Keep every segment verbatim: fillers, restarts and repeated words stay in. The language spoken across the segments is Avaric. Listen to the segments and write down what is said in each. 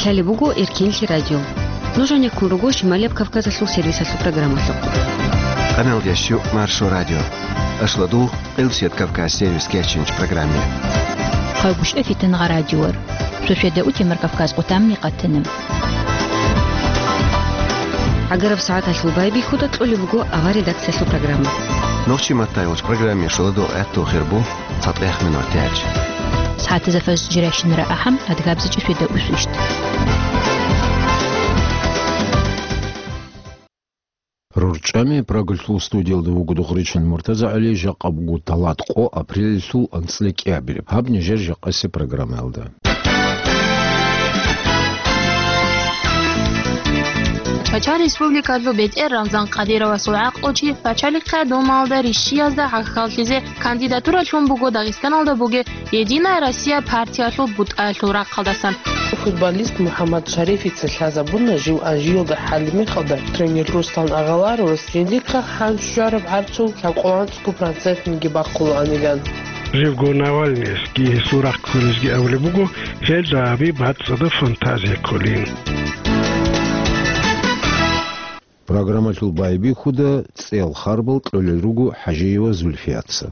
Лъалеб буго Эркенлъи радио. Нуж гьанеккун руго Шималияб Кавказалъул сервисалъул программалъухъ. Къаналда щу Маршо радио. Ашладу Къилсият Кавказ сервис кечинч программе. Хъагушев Фитангъа радиор. Шошеда утемар Кавказ къутамни къатана. Агараб сагӀаталъул байбихьуда кьолеб буго авар редакциялъул программа. Нохчи маттай уч программе шуладу гӀатту хирбу. ЦатӀехмин ватиач. СагӀатазда фажр жирашинара ахӀам, адгабзичӀи шведа усвищ. РорчӀами Прагалъул студиялда вуго Дугъричин МуртазагӀали, жакъа буго талат къо апрелалъул анцӀила кӀиабилеб. Гьаб нижер жакъасе программаялда. Чачан Республикалъул бетӀер Рамзан Къадировасул гӀакълучи Пачалихъа Думаялда рищиязда гӀахьаллъизе кандидатура лъун буго Дагъистаналда бугеб «Единая Россия» партиялъул бутӀаялъул рахъалдасан. Футболист МухӀаммад Шарифица лъазабуна жив Анжиялда хӀалимихалда тренер Руслан Агъаларовас жиндихъа хӀанчӀчӀвараб гӀарцул лъабкъоялда цӀикӀкӀун процентниги бахъулаанилан. Живго Навальныйасги гьесул рахъ кколезги абулеб буго, гьелда гьабиб бацӀцӀадаб фантазия кколин. Программалъул байбихьуда цӀел харбал кьолел руго ХӀажиева Зульфияца.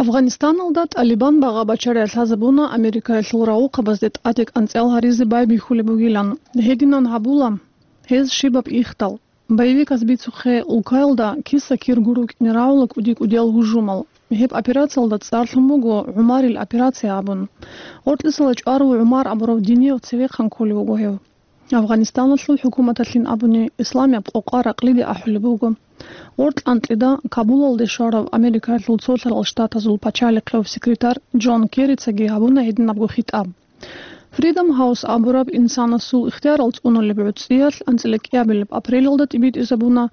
Афганистаналда ТӀалибан багъа-бачари лъазабуна Америкаялъул рагъухъабазде тӀаде кӀанцӀал гьаризе байбихьулеб бугилан. Гьединан гьабула гьез щибаб ихдал. Боевиказ бицухъе улкаялда киса-киргун рукӀине рагӀула кӀуди-кӀудиял гьужумал. Гьеб операциялда цӀарлъун буго ГӀумарил операция абун. Гъоркьисала чӀварав ГӀумар абурав динияв цевехъан кколев вуго гьев. Афганистаналъул хӀукуматалъин абуни, исламияб къокъа ракълиде ахӀулеб буго. Гъоркь анкьида Кабулалде щварав Америкаялъул Цолъарал Штатазул пачалихъев секретарь Джон Керрицаги гьабуна гьединабго хитӀаб. Freedom House абураб инсанасул ихтиярал цӀунулеб гӀуцӀиялъ анцӀила кӀиабилеб апрелалда тӀибитӀизабуна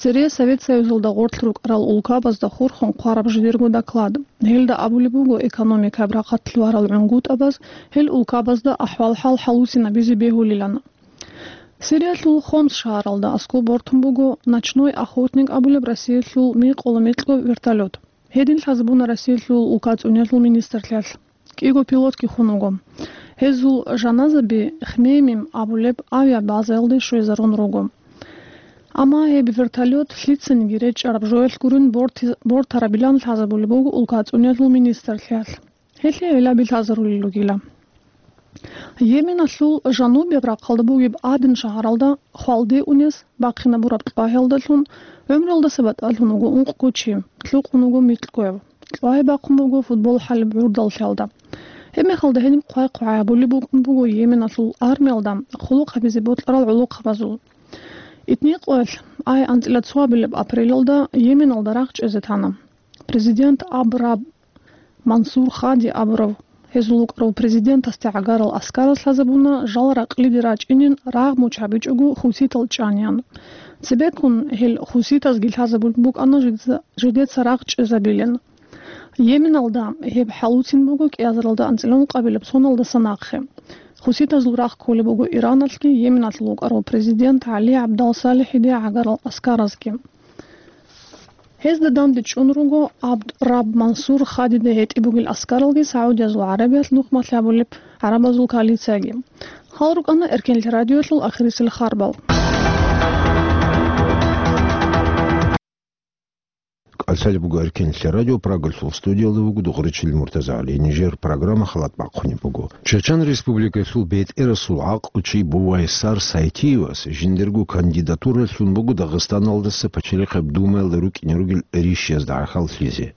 цере Совет Союзалда гъорлъ рукӀарал улкабазда хурхун хъвараб жидерго доклад. Гьелда абулеб буго экономикаяб рахъалъ варал гӀунгутӀабаз гьел улкабазда ахӀвал-хӀал хӀалусинабизе бегьулилан. Сириялъул Хомс шагьаралда аскӀоб бортун буго «Ночной охотник» абулеб Россиялъул микъола-микьго вертолет. Гьедин лъазабуна Россиялъул улка цӀуниялъул министрлъиялъ. КӀиго пилотги хун вуго. Гьезул жаназаби Хмеймим абулеб авиабазаялде щвезарун руго. Амма гьеб вертолет лъицаниги речӀараб жоялъ гурин борти-, бортарабилан лъазабулеб буго улка цӀуниялъул министрлъиялъ. Гьелъие гӀиллаби лъазарулел ругила. Йеменалъул жанубияб рахъалда бугеб Аден шагьаралда хвалде унес бахъинабураб кьвагьиялдалъун гӀумруялдаса батӀалъун вуго ункъго чи, лъукъун вуго микьгояв. Кьвагьи бахъун буго футбол хӀалеб гӀурдаллъиялда. Гьебмехалда гьениб хъвай-хъвай гьабулеб букӀун буго Йеменалъул армиялда хъулухъ гьабизе бокьарал гӀолохъабазул. Итни къоялъ, ай анцӀила цоабилеб апрелалда Йеменалда рагъ чӀезе тана. Президент Аб Раб Мансур Хади абурав, гьезул вукӀарав президентасде гӀагарал аскараз лъазабуна жал ракълиде рачӀинин рагъ муч гьабичӀого хуситал чӀаниян. Цебеккун гьел хуситазги лъазабулеб букӀана жидеца, жидеца рагъ чӀезабилин. Йеменалда гьеб хӀалуцин буго кӀиазаралда анцӀила ункъабилеб соналдаса нахъе. Хуситазул рагъ кколеб буго Ираналъги Йеменалъул вукӀарав президент ГӀали ГӀабдал СалихӀиде гӀагарал аскаразги. Гьезда данде чӀун руго Абд Раб Мансур Хадида гьетӀи бугел аскаралги Саудиязул ГӀарабиялъ нухмалъ гьабулеб гӀарабазул коалицияги. Гьал рукӀана Эркенлъи радиоялъул ахирисел харбал. КӀалъалеб буго Эркенлъи радио, Прагалъул студиялда вуго Дугъричил МуртазагӀали. Нижер программа халат бахъунеб буго. Чачан Республикалъул бетӀерасул гӀакълучи Бувайсар Сайтиевас жиндирго кандидатура лъун буго Дагъистаналдаса Пачалихъаб Думаялда рукӀине ругел рищиязда гӀахьаллъизе.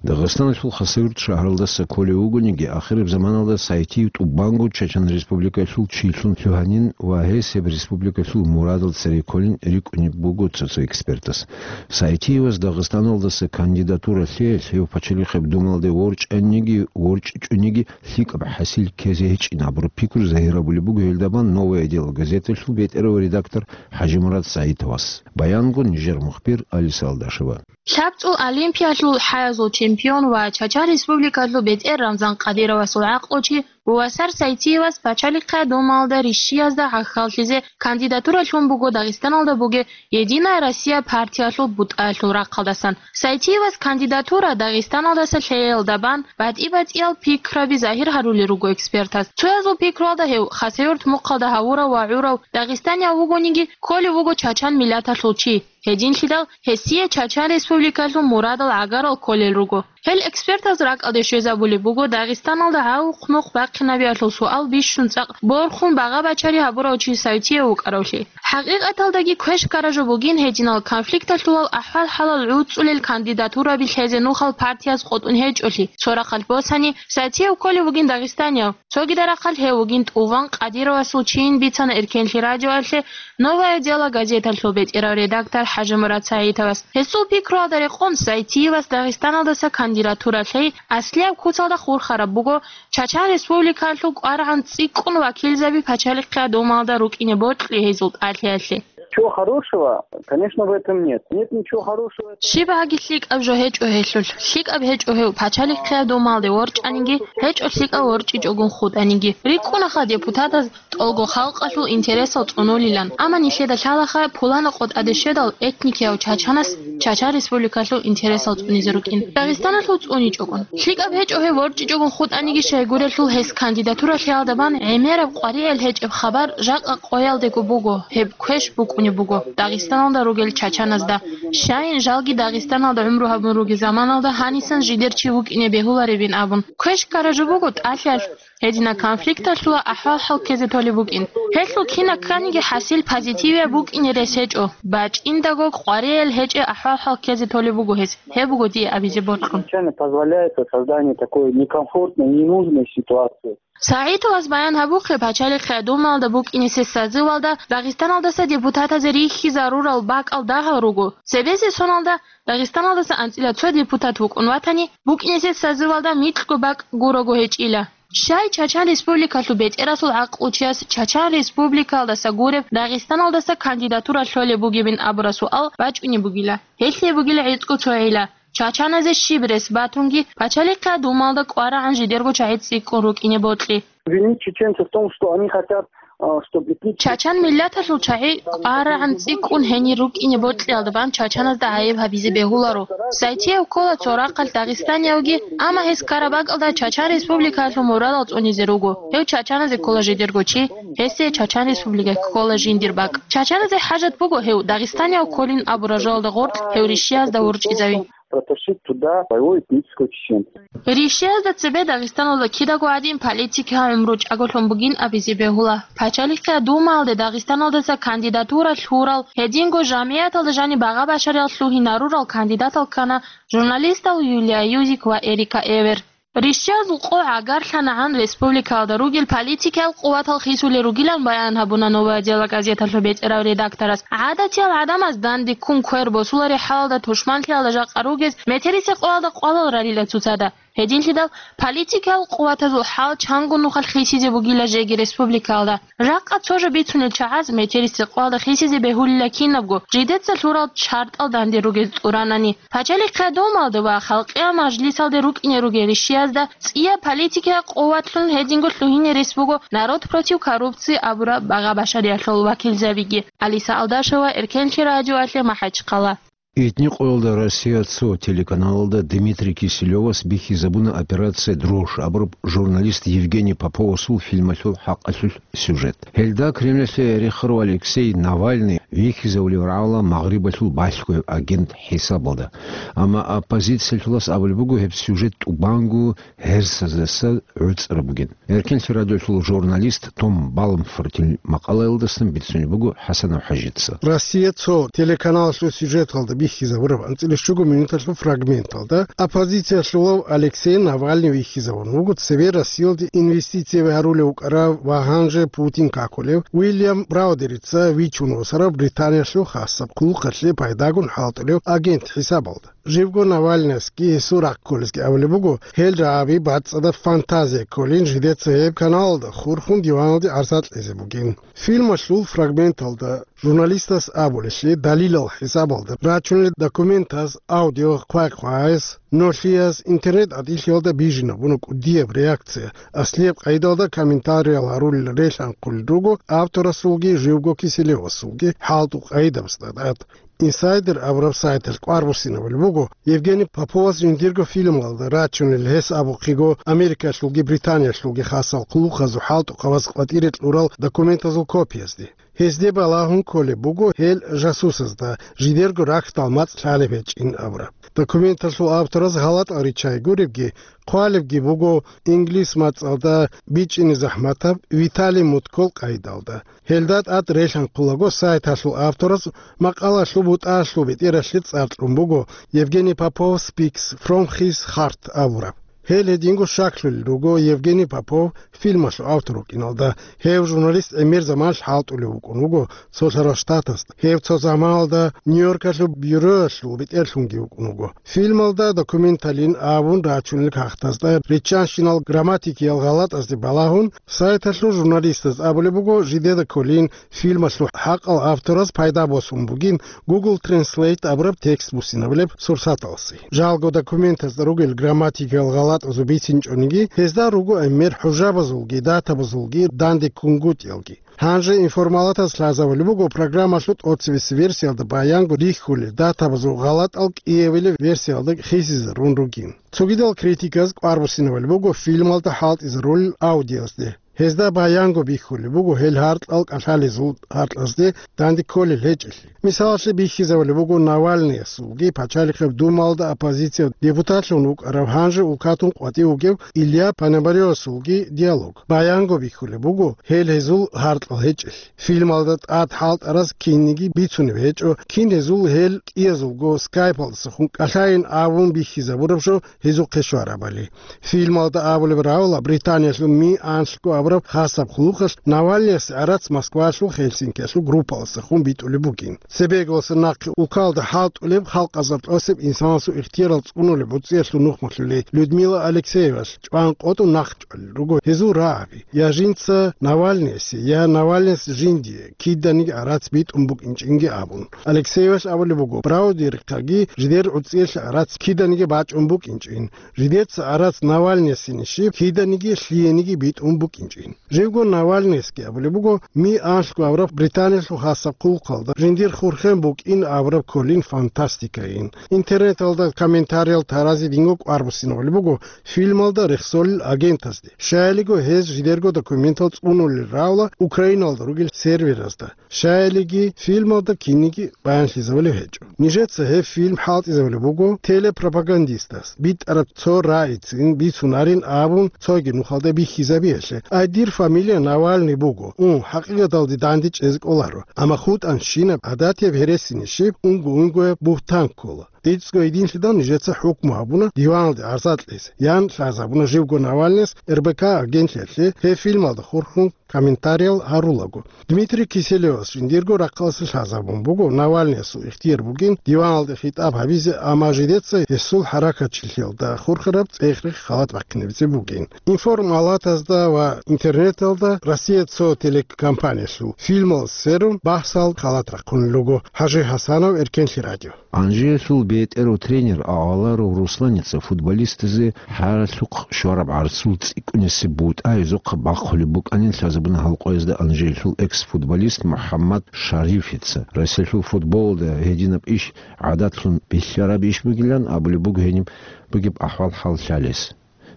Дагъистаналъул Хасавюрт шагьаралдаса кколев вугониги, ахираб заманалда Сайтиев тӀубанго Чачан Республикалъул чилъун лъугьанин ва гьес гьеб республикалъул мурадал цере кколин рикӀкӀунеб буго цо-цо экспертас. Сайтиевас Дагъистаналдаса кандидатура лъеялъ гьев Пачалихъаб Думаялде ворчӀаниги, ворчӀичӀониги лъикӀаб хӀасил ккезе гьечӀин абураб пикру загьирабулеб буго гьелдабан «Новое дело» газеталъул бетӀерав редактор ХӀажимурад Саитовас. Баянго нижер мухбир Алиса Алдашева. ЛъабцӀул Олимпиялъул хӀаязул чемпион ва Чачан Республикалъул бетӀер Рамзан Къадировасул гӀакълучи Васар Сайтиевас Пачалихъе Думаялда ришшиязда гӀахьаллъизе кандидатура лъун буго Дагъистаналда бугеб «Единая Россия» партиялъул бутӀаялъул рахъалдасан. Сайтиевас кандидатура Дагъистаналдаса лъеялда бан батӀи-батӀиял пикраби загьир гьарулел руго экспертаз. Цоязул пикруялда гьев, Хасавюрт мухъалда гьавурав ва гӀурав дагъистанияв вугониги, кколев вуго чачан миллаталъул чи. Гьединлъидал гьесие Чачан Республикалъул мурадал гӀагарал кколел руго. Гьел экспертаз ракӀалде щвезабулеб буго Дагъистаналда гӀавухъ-мухъ бахъинабиялъул суал бищун цӀакъ борхун багъа-бачари гьабурав чи Сайтиев вукӀаравлъи. ХӀакъикъаталдаги квеш-ккара жо бугин гьединал конфликталъулал ахӀвал-хӀалал гӀуцӀулел кандидатураби лъезе нухал партияз къотӀун гьечӀолъи. Цо рахъалъ босани, Сайтиев кколев вугин дагъистанияв. Цогида рахъалъ гьев вугин тӀуван Къадировасул чийин бицана Эркенлъи радиоялъе «Новое дело» газеталъул бетӀерав редактор ХӀажимурад СагӀитовас. Гьесул пикруялда рекъон, Сайтиевас Дагъистаналдаса кандидатура лъей аслияб куцалда хурхараб буго Чачан Республикалъул кӀварагӀан цӀикӀкӀун вакилзаби Пачалихъе Думаялда рукӀине бокьи гьезул тӀалъиялъе. Ничего хорошего, конечно, в этом нет. Нет ничего хорошего. Щиб гьаги лъикӀаб жо гьечӀо гьелъулъ. ЛъикӀаб гьечӀо гьев Пачалихъе Думаялде ворчӀаниги, гьечӀо лъикӀав ворчӀичӀогун хутӀаниги. РикӀкӀунаха депутатаз тӀолго халкъалъул интересал цӀунулилан, амма нилъеда лъалаха пуланаб къотӀаде щведал этникияв чачанас Чачан Республикалъул интересал цӀунизе рукӀин, Дагъистаналъул цӀуничӀогун. ЛъикӀаб гьечӀо гьев ворчӀичӀогун хутӀаниги, щайгурелъул гьес кандидатура лъеялда бан гӀемераб къваригӀел гьечӀеб хабар жакъа къоялдего буго, гьеб квеш букӀунеб буго Дагъистаналда ругел чачаназда. Щайин жалги Дагъистаналда гӀумру гьабун ругел заманалда гьанисан жидер чи вукӀине бегьуларебин абун. Квеш-ккара жо буго тӀалъиялъ гьединаб конфликталъула ахӀвал-хӀал ккезе толеб букӀин. Гьелъул кинаб кканиги хӀасил позитивияб букӀине рес гьечӀо, бачӀиндаго къваригӀел гьечӀеб ахӀвал-хӀал ккезе толеб буго гьес. Гьеб буго дие абизе бокьун. Изначально позволяется создание такой некомфортной, ненужной ситуации. СагӀитовас баян гьабухъе, Пачалихъе Думаялда букӀинисе созывалда Дагъистаналдаса депутатазе рихьизарурал бакӀал дагьал руго. Цебезе соналда Дагъистаналдаса анцӀила цо депутат вукӀун ватани, букӀинисе созывалда микьго бакӀ гурого гьечӀила. Щай Чачан Республикалъул бетӀерасул гӀакълучияс Чачан Республикалдаса гуреб Дагъистаналдаса кандидатура лъолеб бугебин абураб суал бачӀунеб бугила. Гьелъие бугила гӀицӀго цо гӀилла. Чачаназе щиб рес батунги, Пачалихъе Думаялда кӀварагӀан жидерго чагӀи цӀикӀкӀун рукӀине бокьи. Винить чеченцев в том, что они хотят, э, чтобы этнические... Чачан миллаталъул чагӀи кӀварагӀан цӀикӀкӀун гьенир рукӀине бокьиялда бан чачаназда гӀайиб гьабизе бегьуларо. Сайтиев ккола цо рахъалъ дагъистаниявги, амма гьес ккараб бакӀалда Чачан Республикалъул мурадал цӀунизе руго. Гьев чачаназе ккола жидерго чи, гьесие Чачан Республикаялъ ккола жиндир бакӀ. Чачаназе хӀажат буго гьев Дагъистанияв кколин абураб жоялда гъоркь гьев ришшиязда ворчӀизави. Протащить туда своего этнического чеченца. Ришшиязда цебе Дагъистаналда кидаго гӀадин политикиял гӀумру чӀаголъун бугин абизе бегьула. Пачалихъе Думаялде Дагъистаналдаса кандидатура лъурал, гьединго жамгӀияталда жаниб багъа-башариялъ лъугьинарурал кандидатал ккана журналистал Юлия Юзик ва Эрика Эвер. Ришшиязул къо гӀагарлъанагӀан республикаялда ругел политикиял къуватал хисулел ругилан баян гьабуна «Новое дело» газеталъул бетӀерав редакторас. ГӀадатиял гӀадамаз данде ккун квер босулареб хӀалалда тушманлъиялда жакъа ругез метерисеб къоялда къвалал рарила цоцазда. Гьединлъидал политикиял къуватазул хӀал чанго нухалъ хисизе бугила жеги республикаялда. Жакъа цо жо бицунел чагӀаз метерисеб къоялда хисизе бегьулила кинабго, жидеца лъурал шартӀал данде ругез тӀуранани. Пачалихъе Думаялда ва Халкъиял Мажлисалде рукӀине ругел ришшиязда цӀияб политикиял къуватлъун гьединго лъугьине рес буго «Народ против коррупции» абураб багъа-башариялъул вакилзабиги. Алиса Алдашева, Эркенлъи радиоялъе, МахӀачхъала. Итни къоялда Россия цо телеканалалда Дмитрий Киселевас бихьизабуна «Операция Дрожь» абураб журналист Евгений Поповасул фильмалъул хӀакъалъулъ сюжет. Гьелда Кремльалъе рехарав Алексей Навальный вихьизавулев рагӀула Магърибалъул балъгояб агент хӀисабалда. Амма оппозициялъулас абулеб буго гьеб сюжет тӀубанго гьерсаздаса гӀуцӀараб бугин. Эркенлъи радиолъул журналист Том Балмфортил макъалаялдасан бицунеб буго ХӀасанов ХӀажица. «Россия цо» телеканалалъул сюжеталда бихьизабураб анцӀила щуго минуталъул фрагменталда оппозициялъулав Алексей Навальный вихьизабун вуго цебе Россиялде инвестицияби гьарулев вукӀарав ва гьанже Путин какулев Уильям Браудерица вичун восарав Британиялъул хасаб хъулухъалъе пайдагун хӀалтӀулев агент хӀисабалда. Живго Навальныясги гьесул рахъ кколезги абулеб буго, гьел рагӀаби бацӀцӀадаб фантазия кколин, жидеца гьеб каналалда хурхун диваналде гӀарса кьезе бугин. Фильмалъул фрагменталда Журналистас абулелъе, далилал хӀисабалда рачунел документаз аудио хъвай-хъвайес, нолъиялъ интернет-гӀатӀилъиялда бижинабуна кӀудияб реакция, аслияб къайдалда комментариял гьарулел релъанхъулел руго авторасулги живго Киселевасулги хӀалтӀу къайдабазда тӀад. Инсайдер абураб сайталъ кӀвар буссинабулеб буго Евгений Поповас жиндирго фильмалда рачунел, гьес абухъего Америкалъулги Британиялъулги хасал хъулухъазул хӀалтӀухъабаз къватӀире кьурал документазул копиязде. Гьезде балагьун кколеб буго гьел жасусазда жидерго рахьдал мацӀ лъалеб гьечӀин абураб. Документалъул автораз гьалатӀал риччай гуребги, хъвалебги буго инглис мацӀалда бичӀчӀине захӀматаб Виталий Муткол къайдалда. Гьелда тӀад релъанхъулаго сайталъул автораз макъалалъул бутӀалъул бетӀералъе цӀар кьун буго Евгений Попов Speaks from His Heart абураб. Гьел гьединго щаклъулел руго Евгений Попов фильмалъул автор вукӀиналда. Гьев журналист гӀемер заманалъ хӀалтӀулев вукӀун вуго цо лъарал штатасда. Гьев цо заманалда Нью-Йоркалъул бюроялъул бетӀерлъунги вукӀун вуго. Фильмалда документалин абун рачунел кагътазда риччанщинал грамматикиял гъалатӀазде балагьун, сайталъул журналистаз абулеб буго, жидеда кколин фильмалъул хӀакъал автораз пайда босун бугин Google Translate абураб текст буссинабулеб сурсаталъе. Жалго документазда ругел грамматикиял гъалатӀазул бицинчӀониги, гьезда руго гӀемер хӀужабазулги, датабазулги, данде ккунгутӀиялги. Гьанже информалатаз лъазабулеб буго программалъул тӀоцебесеб версиялда баянго рихьулел датабазул гъалатӀал кӀиабилеб версиялда хисизарун ругин. Цогидал критиказ кӀвар буссинабулеб буго фильмалда хӀалтӀизарулел аудиозде. Гьезда баянго бихьулеб буго гьел гьаркьал кӀалъалезул гьаркьазде данде кколел гьечӀелъи. Мисалалъе бихьизабулеб буго Навальныясулги, Пачалихъеб Думалда оппозициялъул депутатлъун вукӀарав, гьанже улкатун къватӀив вугев Илья Пономаревасулги диалог. Баянго бихьулеб буго гьел гьезул гьаркьал гьечӀелъи. Фильмалда тӀад хӀалтӀараз кинниги бицунеб гьечӀо, кин гьезул гьел кӀиязулго скайпалдасахун кӀалъайин абун бихьизабураб жо гьезухъе щварабали. Фильмалда абулеб равла, Британиялъул Ми анлъго абураб хасаб хъулухъалъ Навальныясе гӀарац Москвалъул Хельсинкиялъул группалдасахун битӀулеб бугин. Цебеголъа нахъе улкалда хӀалтӀулеб халкъазул тӀосеб инсанасул ихтиярал цӀунулеб гӀуцӀиялъул нухмалъулей Людмила Алексеевалъ чӀван къотӀун нахъчӀвалел руго гьезул рагӀаби: я жинца Навальныясе, я Навальныяс жиндие киданиги гӀарац битӀун букӀинчӀинги абун. Алексеевалъ абулеб буго, Браудерихъаги жидер гӀуцӀиялъе гӀарац киданиги бачӀун букӀинчӀин. Жидеца гӀарац Навальныясени щиб киданиги лъиениги битӀун букӀинчӀин. Живго Навальныясги абулеб буго, Ми анлъго абураб Британиялъул хасаб хъулухъалда жиндир хурхен букӀин абураб кколин фантастикайин. Интернеталда комментариял тарази динго кӀвар буссинабулеб буго фильмалда рехсолел агентазде. Щаялиго гьез жидерго документал цӀунулел равла Украиналда ругел серверазда. Щаялиги фильмалда кинниги баянлъизабулеб гьечӀо. Нижеца гьеб фильм хӀалтӀизабулеб буго телепропагандистас битӀараб цо рагӀицин бицунарин абун цоги нухалда бихьизабиялъе. Ай, дир фамилия Навальный буго. Ун, хӀакъикъаталде данде чӀезе кӀоларо. Амма хутӀанщинаб гӀадатияб гьересине щиб унго-унгояб бугьтан ккола. ГӀицӀго гьединлъидал нижеца хӀукму гьабуна диваналде гӀарза кьезе, ян лъазабуна живго Навальныяс РБК агентлъиялъе гьеб фильмалда хурхун комментариял гьарулаго. Дмитрий Киселевас жиндирго рахъалъе лъазабун буго Навальныясул ихтияр бугин диваналде хитӀаб гьабизе, амма жидеца гьесул хӀаракатчилъиялда хурхараб цӀех-рех халат бахъинабизе бугин. Информалатазда ва интернеталда Россия цо телекомпаниялъул фильмал сверун бахсал халат рахъун руго. ХӀажи ХӀасанов, Эркенлъи радио. Анжиялъул бетӀерав тренер Агъаларов Русланица футболистазе хӀаралъухъ щвараб гӀарцул цӀикӀкӀунесеб бутӀа гьезухъа бахъулеб букӀанин лъазабуна гьалкъоязда Анжиялъул экс-футболист МухӀаммад Шарифица. Россиялъул футболалда гьединаб иш гӀадатлъун бихьараб иш бугилан абулеб буго гьениб бугеб ахӀвал-хӀал лъалес.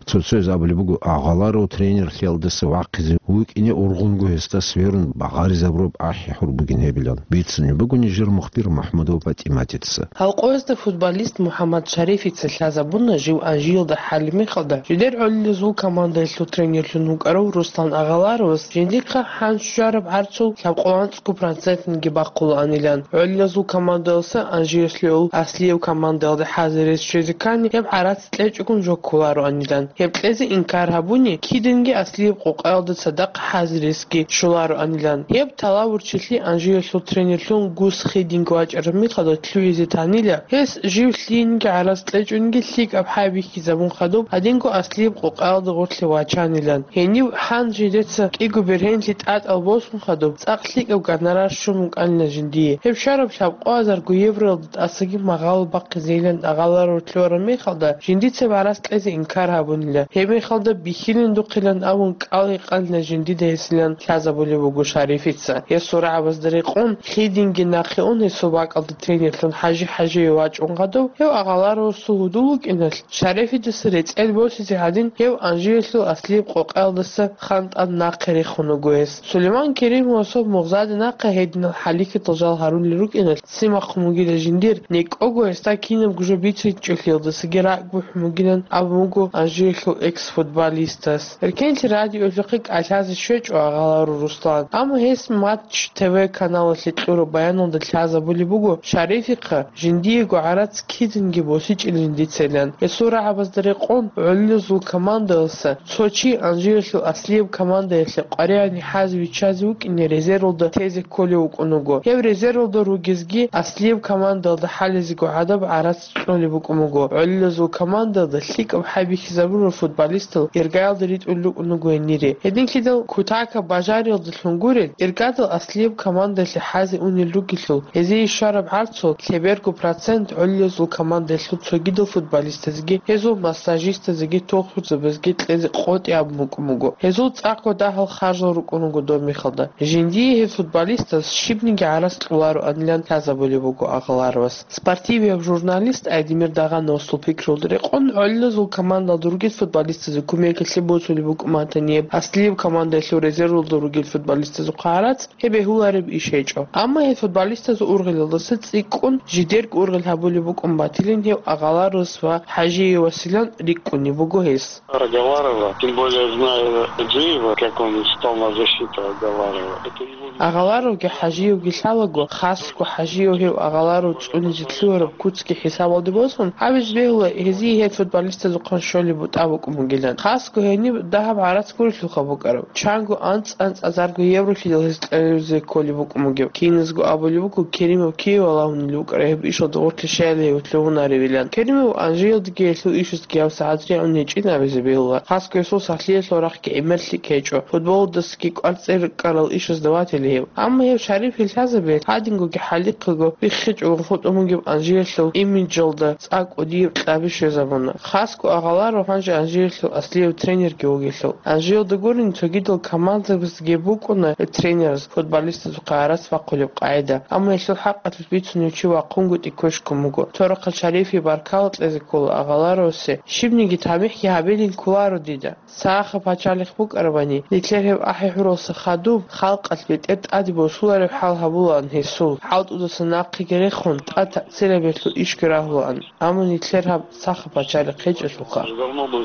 Цо-цояз абулеб буго, Агъаларов тренерлъиялдаса вахъизе вукӀине ургъунго гьесда сверун багъаризабураб ахӀи-хӀур бугин гьебилан. Бицунеб буго нижер мухбир МахӀмудова ПатӀиматица. Гьалкъоязда футболист МухӀаммад Шарифица лъазабуна жив Анжиялда хӀалеб мехалда, жидер гӀолилазул командаялъул тренерлъун вукӀарав Руслан Агъаларовас жиндихъа хӀанчӀ щвараб гӀарцул лъабкъоялда анцӀго процентниги бахъулаанилан. ГӀолилазул командаялъа Анжиялъул аслияб командаялде хӀазирес щвезе ккани, гьеб гӀарац кьечӀогун жо кколароанилан. Гьеб кьезе инкар гьабуни, кидинги аслияб къокъаялда цадахъ хӀазиресги щолароанилан. Гьеб талавурчилъи Анжиялъул тренерлъун Гус Хидинг вачӀараб мехалда лъугӀизе танила, гьес жив лъиениги гӀарац кьечӀониги лъикӀаб хӀай бихьизабун хадуб, гьадинго аслияб къокъаялда гъорлъе вачанилан. Гьенив гьанже дица кӀиго бергьенлъи тӀатӀал босун хадуб, цӀакъ лъикӀаб гонорар щун букӀанила жиндие. Гьеб щвараб лъабкъоазарго евроялда тӀасаги магъало бахъизейилан агъаларав лъугьараб мехалда, жиндица гӀарац кьезе инкар гьабунила. Гьеб мехалда бихьилин духъилан абун кӀал гьекъанила жиндида гьесилан лъазабулеб буго Шарифица. Гьесул рагӀабазда рекъон, Хидинги нахъе ун гьесул бакӀалда тренерлъун ХӀажи ХӀажиев вачӀун хадуб, гьев агъаларавасул гьудул вукӀиналъ, Шарифидаса рецӀел босизе гьадин, гьев Анжиялъул аслияб къокъаялдаса хантӀан нахъе рехун вуго гьес. Сулейман Керимовасул мугъзаде нахъе гьединал хӀалихьидал жал гьарулел рукӀиналъ, ццин бахъун бугила жиндир, некӀого гьесда кинабго жо бицинчӀолъиялдасаги ракӀ бухӀун бугилан абун буго Анжиялъул экс-футболистас. Эркенлъи радиоялъухъе кӀалъазе щвечӀо агъаларав Руслан, амма гьес Матч ТВ каналалъе кьураб баяналда лъазабулеб буго, Шарифихъа жиндиего гӀарац кидинги босичӀилин дицайилан. Гьесул рагӀабазда рекъон, гӀолилазул командалъа цо чи Анжиялъул аслияб командаялъе къваригӀани хӀазе виччазе вукӀине резервалда тезе кколев вукӀун вуго. Гьев резервалда ругезги аслияб командалда хӀалезего гӀадаб гӀарац кьолеб букӀун буго. ГӀолилазул командалда лъикӀаб хӀай бихьизабурал футболистал иргаялда ритӀулел рукӀун буго гьенире. Гьединлъидал кутакаб бажариялдалъун гурел, иргадал аслияб командаялъе хӀазе унел ругелъул, гьезие щвараб гӀарцул лъеберго процент гӀолилазул командаялъул цогидал футболистазеги, гьезул массажистазеги, тохтурзабазеги кьезе къотӀи абун букӀун буго. Гьезул цӀакъго дагьал харжал рукӀун руго доб мехалда. Жиндие гьеб футболистаз щибниги гӀарац кьолароанилан лъазабулеб буго агъаларовас. Спортивияб журналист Айдемир Дагъановасул пикрулда рекъон, гӀолилазул командалда ругел футболистазе кумекалъе босулеб букӀун батани, гьеб аслияб командаялъул резервалда ругел футболистазухъа гӀарац, гьеб бегьулареб иш гьечӀо. Амма гьеб футболистазул ургъелалдаса цӀикӀкӀун, жидерго ургъел гьабулеб букӀун батилин гьев агъаларовас ва ХӀажиевасилан рикӀкӀунеб буго гьес. Про Галарова, тем более зная Хаджиева, как он встал на защиту Галарова. Это его... Агъаларовги ХӀажиевги лъалаго, хасго ХӀажиев гьев агъаларов цӀунизе лъугьараб куцги хӀисабалде босун, гьабизе бегьула гьезие гьеб футболистазухъан щолеб бутӀа букӀун бугилан. Хасго гьениб дагьаб гӀарац гурелъулха букӀараб. Чанго анцӀ-анцӀазарго евролъидал гьез кьезе кколеб букӀун бугеб. Киназго абулеб буго, Керимов киве валагьунел вукӀарай гьеб ишалда гъорлъе щайила гьев лъугьунаревилан. Керимов Анжиялдаги гьелъул ишаздаги гьабсагӀат ригӀун гьечӀин абизе бегьула. Хасго гьесул сахлъиялъул рахъги гӀемерлъи ккечӀо. Футболалдасаги кӀвар цӀер ккарал ишазда ватила гьев. Амма гьев Шарифил лъазабиялъ гьадингоги хӀалихъего биххичӀого хутӀун бугеб Анжиялъул имиджалда цӀакъ кӀудияб кьаби щвезабуна. Хасго агъаларав гьанже Анжиялъул аслияб тренерги вугелъул. Анжиялда гурин цогидал командабаздаги букӀуна гьеб тренераз футболистазухъа гӀарац бахъулеб къагӀида, амма гьелъул хӀакъалъулъ бицунев чи вахъунгутӀи ккошкун буго. Цо рахъалъ Шарифие баркала кьезе ккола агъаларовасе, щибниги тамихӀги гьабилин кколаро дида. Сахаб пачалихъ букӀарабани, нилъер гьеб ахӀи-хӀуралса хадуб, халкъалъ бетӀер тӀаде босулареб хӀал гьабулаан гьесул, хӀалтӀудаса нахъеги рехун, тӀад церабиялъул ишги рагьулаан, амма нилъер гьаб сахаб пачалихъ гьечӀелъулха. Давно бы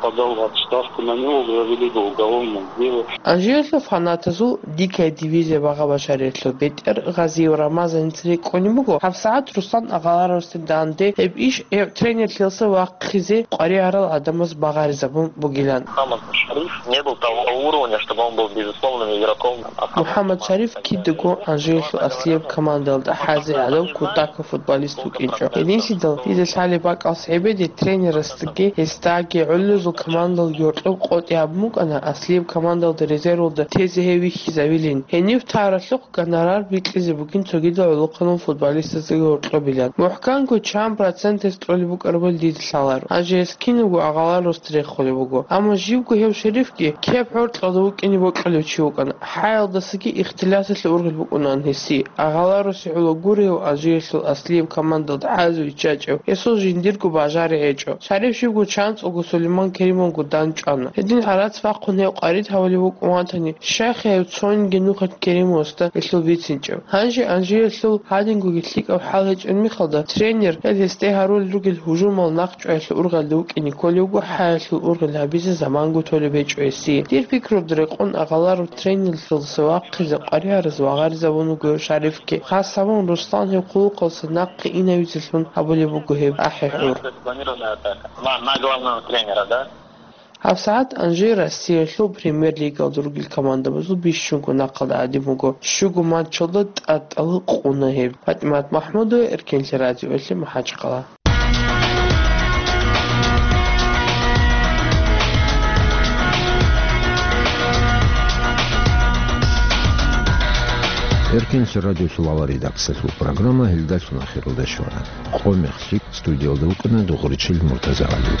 подал в отставку, на него завели бы уголовное дело. Анжелалъул фанатазул «Дикая дивизия» багъа-башариялъул бетӀер Гъазиев Рамазаница рикӀкӀунеб буго, гьабсагӀат Руслан Агъаларовасде данде гьеб иш гьев тренерлъиялса вахъизе къваригӀарал гӀадамаз багъаризабун бугилан. Мухаммад Шариф не был того уровня, чтобы он был безусловным игроком. МухӀаммад Шариф кидаго Анжелалъул аслияб командалда хӀазе гӀадав кутакаб футболист вукӀинчӀо. Гьединлъидал дида лъалеб бакӀалъ гӀебеде тренерасдаги гьесдаги гӀолилазул командал гьоркьоб къотӀи гьабун букӀана аслияб командалда резервалда тезе гьев вихьизавилин. Гьенив таралъухъ гонорар бикьизе бугин цогидал гӀолохъанал футболистаздаги гьоркьобилан. МухӀканго чан проценталъ кьолеб букӀарабали дида лъаларо. Гьанже гьес кинабго Агъаларовасда рехулеб буго. Амма живго гьев Шарифги кеп гӀоркьалда вукӀине бокьулев чи вукӀана. ХӀаялдасаги ихтилаталъе ургъел букӀунаан гьесие. Агъаларовасе гӀоло гурев Алжиралъул аслияб командалда хӀазе виччачӀев, гьесул жиндирго бажари гьечӀо. Шариф живго чанцӀулго Сулейман Керимовго дандчӀвана. Гьедин гӀарац бахъун гьев къварид гьавулев вукӀун ватани, щайха гьев цониги нухалъ Керимовасда гьелъул бицинчӀев? Гьанже Алжиралъул гьадингоги лъикӀаб хӀал гьечӀеб мехалда, тренер гьел гьесде гьарулел ругел гьужумал нахъчӀваялъул ургъелде вукӀине кколевго хӀаялъул ургъел гьабизе заманго толеб гьечӀо гьесие. Дир пикрурда рекъон Агъаларов тренерлъиялдаса вахъизе къваригӀараз вагъаризабун вуго Шарифги. Хасабун Руслан гьев хъулухъалдаса нахъе инавизелъун гьабулеб буго гьеб ахӀи-хӀур. На, на главного тренера, да? ГьабсагӀат Анжи Россиялъул премьер-лигалда ругел командабазул бищунго нахъалда гӀадин буго. Щуго матчалда тӀатӀала къуна гьеб. ПатӀимат МахӀмудова, Эркенлъи радиоялъе МахӀачхъала. Эркенлъи радиолъул авал редакциялъул программа гьелдалъун ахиралде щвана. Къо мехлъи студиялда вукӀана Дугъричил МуртазагӀали.